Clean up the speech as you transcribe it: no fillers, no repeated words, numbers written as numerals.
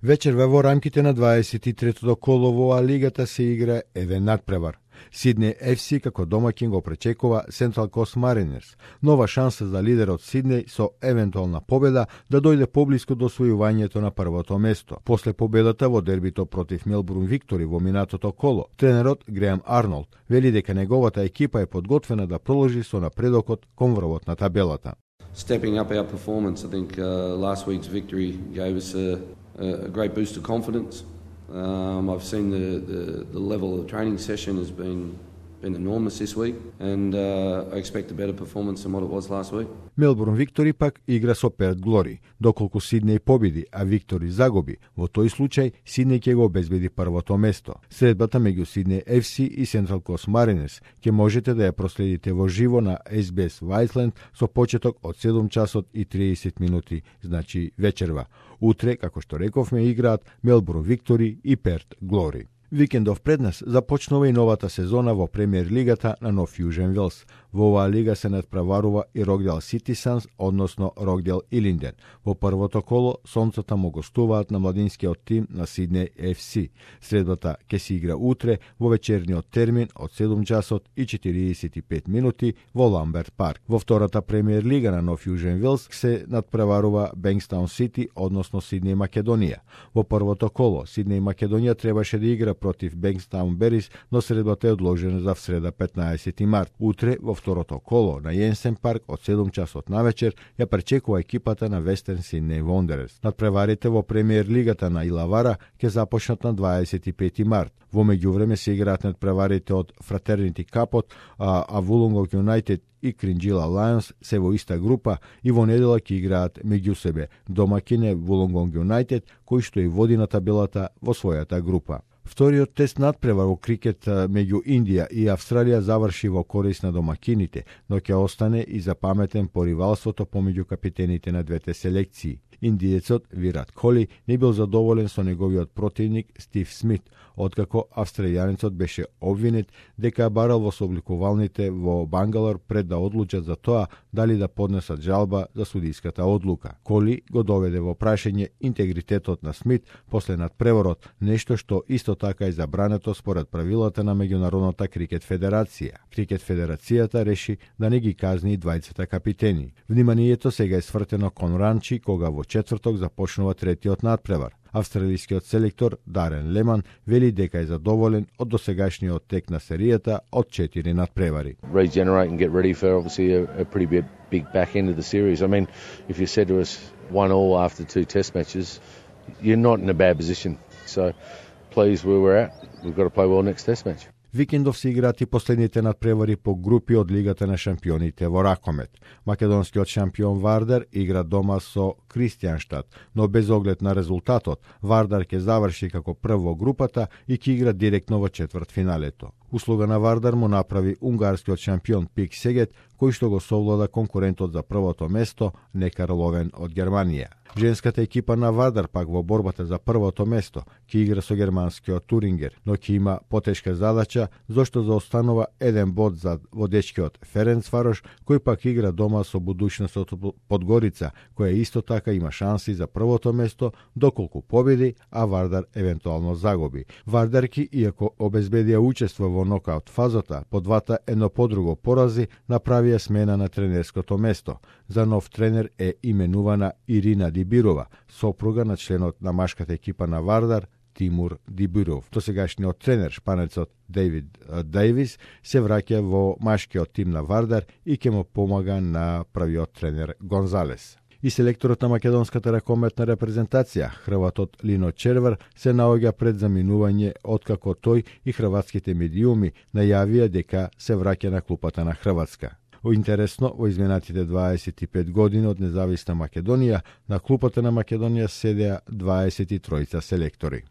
Вечерва во рамките на 23-то коло во лигата се игра еден надпревар. Сиднеј FC како домаќин го пречекува Central Coast Mariners. Нова шанса за лидерот Сиднеј со евентуална победа да дојде поблиску до освојувањето на првото место. После победата во дербито против Мелбурн Виктори во минатото коло, тренерот Греам Арнолд вели дека неговата екипа е подготвена да продолжи со напредокот кон врвот на табелата. Stepping up our performance, I think last week's victory gave us a great boost of confidence. I've seen the level of training session has been enormous this week, and I expect a better performance than what it was last week. Мелбурн Виктори пак игра со Перт Глори. Доколку Сиднеј победи, а Виктори загуби, во тој случај Сиднеј ќе го обезбеди првото место. Средбата меѓу Сиднеј FC и Central Coast Mariners ќе можете да ја проследите во живо на SBS Whiteland со почеток од 7 часот и 30 минути, значи вечерва. Утре, како што рековме, играат Мелбурн Виктори и Перт Глори. Викендов пред нас започнува и новата сезона во премиер лигата на Нов Јужен Велс. Во оваа лига се надпреварува и Рокдел Сити Санс, односно Рокдел Илинден. Во првото коло сонцата му гостуваат на младинскиот тим на Сиднеј FC. Средбата ќе се игра утре во вечерниот термин од 7 часот и 45 минути во Ламберт парк. Во втората премиер лига на Нов Јужен Велс се надпреварува Бенкстаун Сити, односно Сиднеј Македонија. Во првото коло Сиднеј Македонија требаше да игра против Бенкстаун Берис, но средбата е одложена за среда 15 март. Утре во второто коло на Јенсен парк од 7 часот навечер ја пречекува екипата на Вестерн Сиднеј Вондерерс. Надпреварите во премиер лигата на Илавара ќе започнат на 25 март. Во меѓувреме се играат надпреварите од Фратернити Капот, а Вулонгонг Юнајтед и Кринџила Лајонс се во иста група и во недела ќе играат меѓу себе. Домаќин е Вулонгонг Юнајтед, кој што и води на табелата во својата група. Вториот тест надпревар во крикет меѓу Индија и Австралија заврши во корис на домакините, но ќе остане и запаметен по ривалството помеѓу капитените на двете селекции. Индиецот Вират Коли не бил задоволен со неговиот противник Стив Смит, откако австралијанецот беше обвинет дека барал во собликувалните во Бангалор пред да одлучат за тоа дали да поднесат жалба за судиската одлука. Коли го доведе во прашање интегритетот на Смит после надпреварот, нешто што исто така е забрането според правилата на Меѓународната крикет федерација. Крикет федерацијата реши да не ги казни двајцата капитени. Вниманието сега е свртено кон Ранчи, кога во четврток започнува третиот надпревар. Австралискиот селектор Дарен Леман вели дека е задоволен од досегашниот тек на серијата од 4 надпревари. Regenerate and get ready for obviously a pretty big back end of the series. I mean, if you said to us 1-1 after 2 test matches, you're not in a bad position. So pleased where we're at. We've got to play well next test match. Викендов се играат и последните надпревари по групи од Лигата на шампионите во ракомет. Македонскиот шампион Вардар игра дома со Кристијанштад, но без оглед на резултатот, Вардар ќе заврши како прв во групата и ќе игра директно во четвртфиналето. Услуга на Вардар му направи унгарскиот шампион Пик Сегет, кој што го совлада конкурентот за првото место Некар Ловен од Германија. Женската екипа на Вардар пак во борбата за првото место ќе игра со германскиот Турингер, но ќе има потешка задача зашто заостанува еден бод зад водечкиот Ференцварош, кој пак игра дома со Будуćност Подгорица, која исто така има шанси за првото место доколку победи, а Вардар евентуално загуби. Вардарки, иако обезбедија учество во нокаут фазата, по двата едно по друго порази, направија смена на тренерското место. За нов тренер е именувана Ирина Дибирова, сопруга на членот на машката екипа на Вардар, Тимур Дибиров. Досегашниот тренер, шпанецот Дейвид Дейвис, се враќа во машкиот тим на Вардар и ќе му помага на правиот тренер Гонзалес. И селекторот на македонската ракометна репрезентација, хрватот Лино Червар, се наоѓа пред заминување откако тој и хрватските медиуми најавија дека се враќа на клупата на Хрватска. Интересно, во изминатите 25 години од независна Македонија, на клупата на Македонија седеа 23 селектори.